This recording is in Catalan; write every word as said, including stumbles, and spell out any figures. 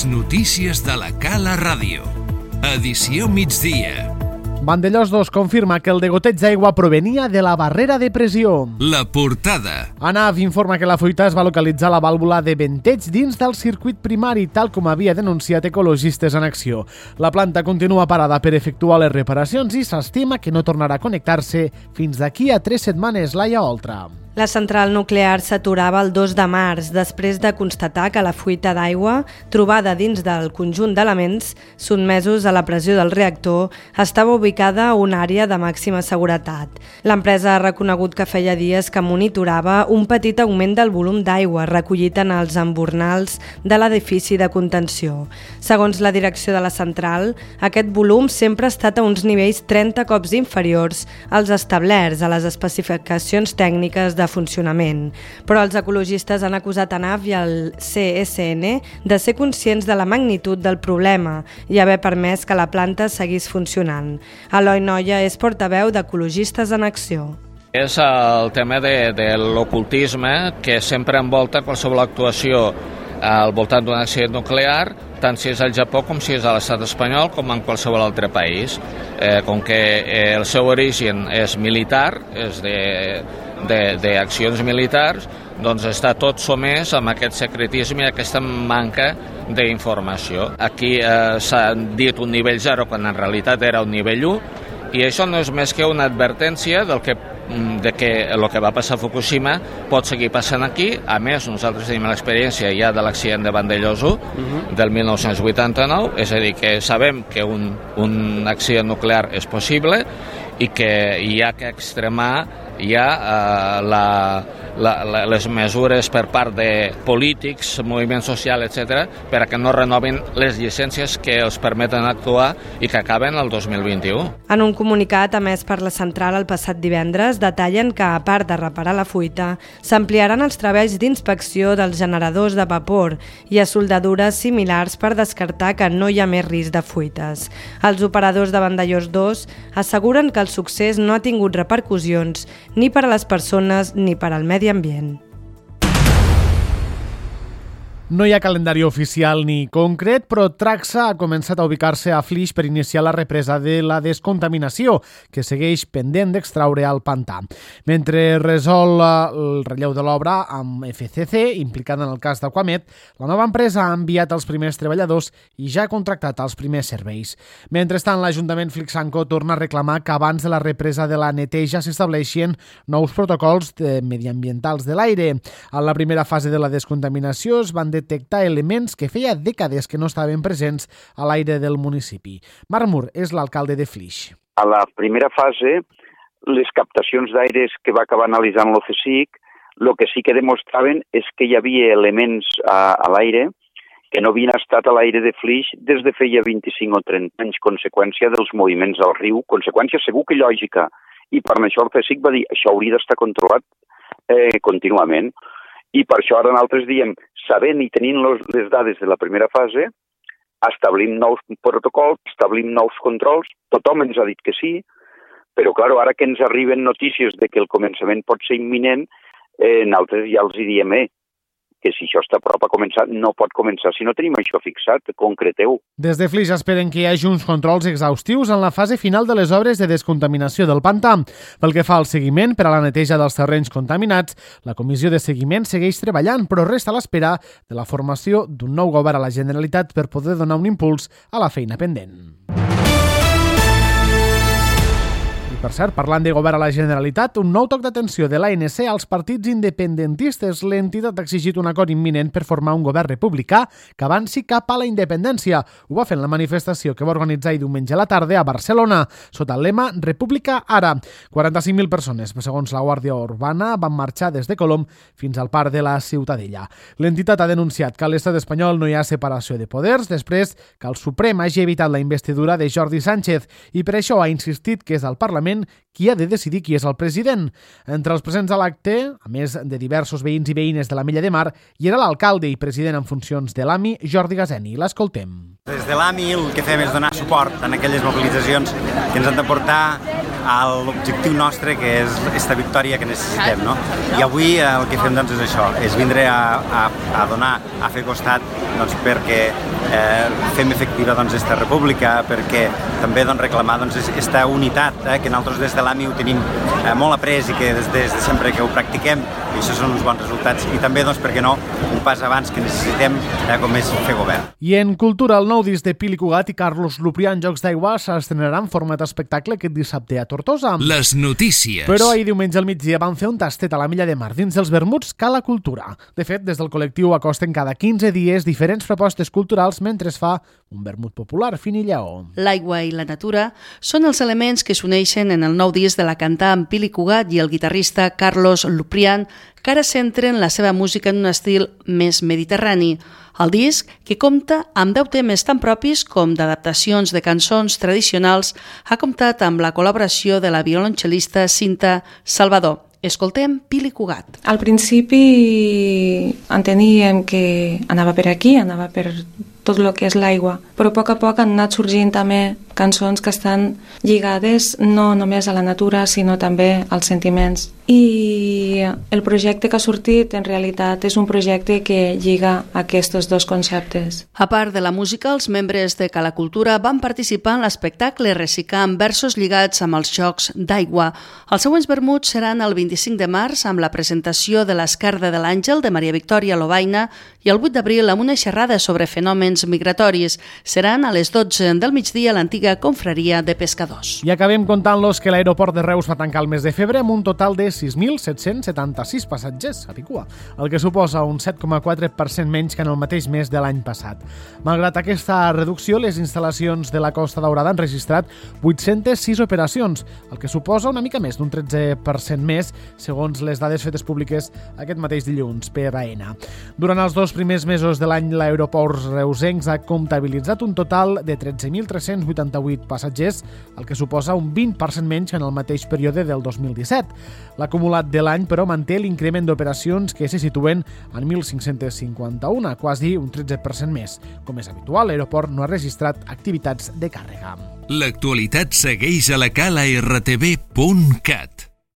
Les notícies de la Cala Ràdio. Edició migdia. Vandellòs dos confirma que el degoteig d'aigua provenia de la barrera de pressió. La portada. ANAF informa que la fuita es va localitzar a la vàlvula de venteig dins del circuit primari, tal com havia denunciat Ecologistes en Acció. La planta continua parada per efectuar les reparacions i s'estima que no tornarà a connectar-se fins d'aquí a tres setmanes. Laia Oltra. La central nuclear s'aturava el dos de març després de constatar que la fuita d'aigua, trobada dins del conjunt d'elements sotmesos a la pressió del reactor, estava ubicada a una àrea de màxima seguretat. L'empresa ha reconegut que feia dies que monitorava un petit augment del volum d'aigua recollit en els embornals de l'edifici de contenció. Segons la direcció de la central, aquest volum sempre ha estat a uns nivells trenta cops inferiors als establerts a les especificacions tècniques de de funcionament, però els ecologistes han acusat ANAF i el C S N de ser conscients de la magnitud del problema i haver permès que la planta seguís funcionant. Eloi Noia és portaveu d'Ecologistes en Acció. És el tema de, de l'ocultisme que sempre envolta qualsevol actuació al voltant d'un accident nuclear, tant si és al Japó com si és a l'estat espanyol com en qualsevol altre país. Eh, com que eh, el seu origen és militar, és de d'accions militars, doncs està tot somès amb aquest secretisme i aquesta manca d'informació. Aquí eh, s'ha dit un nivell zero quan en realitat era un nivell u, i això no és més que una advertència del que de que el que va passar a Fukushima pot seguir passant aquí. A més, nosaltres tenim l'experiència ja de l'accident de Vandellòs u del mil nou-cents vuitanta-nou, és a dir, que sabem que un, un accident nuclear és possible i que hi ha que extremar ja eh, la, la, la, les mesures per part de polítics, moviments socials, etcètera, per a que no renovin les llicències que els permeten actuar i que acaben el dos mil vint-i-u. En un comunicat emès per la central el passat divendres, detallen que, a part de reparar la fuita, s'ampliaran els treballs d'inspecció dels generadors de vapor i a soldadures similars per descartar que no hi ha més risc de fuites. Els operadors de Vandellòs dos asseguren que el succés no ha tingut repercussions ni per a les persones ni per al medi ambient. No hi ha calendari oficial ni concret, però Traxa ha començat a ubicar-se a Flix per iniciar la represa de la descontaminació, que segueix pendent d'extraure al pantà. Mentre resol el relleu de l'obra amb F C C, implicada en el cas d'Aquamet, la nova empresa ha enviat els primers treballadors i ja ha contractat els primers serveis. Mentrestant, l'Ajuntament flixenco torna a reclamar que abans de la represa de la neteja s'estableixin nous protocols mediambientals de l'aire. En la primera fase de la descontaminació es van detectar elements que feia dècades que no estaven presents a l'aire del municipi. Marc Mur és l'alcalde de Flix. A la primera fase, les captacions d'aires que va acabar analitzant l'O C S I C, el que sí que demostraven és que hi havia elements a, a l'aire que no havien estat a l'aire de Flix des de feia vint-i-cinc o trenta anys, conseqüència dels moviments al riu, conseqüència segur que lògica, i per això el C S I C va dir això hauria d'estar controlat eh, contínuament. I per això ara nosaltres diem, sabent i tenint les dades de la primera fase, establim nous protocols, establim nous controls, tothom ens ha dit que sí, però clar, ara que ens arriben notícies de que el començament pot ser imminent, eh, nosaltres ja els diem, eh, que si això està a prop a començar, no pot començar si no tenim això fixat, concreteu. Des de Flix esperen que hi hagi uns controls exhaustius en la fase final de les obres de descontaminació del pantà. Pel que fa al seguiment per a la neteja dels terrenys contaminats, la comissió de seguiment segueix treballant, però resta a l'espera de la formació d'un nou govern a la Generalitat per poder donar un impuls a la feina pendent. Per cert, parlant de govern a la Generalitat, un nou toc d'atenció de l'A N C als partits independentistes. L'entitat ha exigit un acord imminent per formar un govern republicà que avanci cap a la independència. Ho va fer en la manifestació que va organitzar diumenge a la tarda a Barcelona, sota el lema República ara. quaranta-cinc mil persones, segons la Guàrdia Urbana, van marxar des de Colom fins al parc de la Ciutadella. L'entitat ha denunciat que a l'estat espanyol no hi ha separació de poders després que el Suprem hagi evitat la investidura de Jordi Sánchez i per això ha insistit que és el Parlament qui ha de decidir qui és el president. Entre els presents a l'acte, a més de diversos veïns i veïnes de l'Ametlla de Mar, hi era l'alcalde i president en funcions de l'A M I, Jordi Gazeni. L'escoltem. Des de l'A M I el que fem és donar suport en aquelles mobilitzacions que ens han de portar a l'objectiu nostre, que és aquesta victòria que necessitem, no? I avui el que fem doncs, és això, és vindre a, a, a donar, a fer costat doncs, perquè eh, fem efectiva doncs, esta república, perquè també doncs, reclamar doncs, esta unitat eh, que nosaltres des de l'A M I ho tenim eh, molt après i que des, des de sempre que ho practiquem, i això són uns bons resultats, i també, doncs, per què no, un pas abans que necessitem eh, com és fer govern. I en cultura, el nou disc de Pili Cugat i Carlos Luprià en Jocs d'Aigua s'estrenarà en format espectacle aquest dissabte a Tortosa. Les notícies. Però ahir diumenge al migdia van fer un tastet a la Milla de Mar dins dels vermuts Cala Cultura. De fet, des del col·lectiu acosten cada quinze dies diferents propostes culturals mentre es fa un vermut popular, fin i lleó. L'aigua i la natura són els elements que s'uneixen en el nou disc de la cantant Pili Cugat i el guitarrista Carlos Luprià, que ara centren la seva música en un estil més mediterrani. El disc, que compta amb deu temes tan propis com d'adaptacions de cançons tradicionals, ha comptat amb la col·laboració de la violoncel·lista Cinta Salvador. Escoltem Pili Cugat. Al principi enteníem que anava per aquí, anava per tot el que és l'aigua, però a poc a poc han anat sorgint també cançons que estan lligades no només a la natura, sinó també als sentiments. I el projecte que ha sortit, en realitat, és un projecte que lliga aquests dos conceptes. A part de la música, els membres de Cala Cultura van participar en l'espectacle reciclant versos lligats amb els Jocs d'Aigua. Els següents vermuts seran el vint-i-cinc de març amb la presentació de l'Esquerda de l'Àngel de Maria Victòria Lobaina i el vuit d'abril amb una xerrada sobre fenòmens migratoris. Seran a les dotze del migdia a l'antiga confraria de pescadors. I acabem contant-los que l'aeroport de Reus va tancar el mes de febrer amb un total de sis mil set-cents setanta-sis passatgers a Picua, el que suposa un set coma quatre per cent menys que en el mateix mes de l'any passat. Malgrat aquesta reducció, les instal·lacions de la Costa Daurada han registrat vuit-centes sis operacions, el que suposa una mica més d'un tretze per cent més, segons les dades fetes públiques aquest mateix dilluns per A N A. Durant els dos primers mesos de l'any, l'aeroport reusencs ha comptabilitzat un total de tretze mil tres-cents vuitanta-vuit passatgers, el que suposa un vint per cent menys que en el mateix període del dos mil disset. L'acumulat de l'any, però, manté l'increment d'operacions que se situen en mil cinc-cents cinquanta-un, quasi un tretze per cent més. Com és habitual, l'aeroport no ha registrat activitats de càrrega. L'actualitat segueix a la cala r t v punt cat.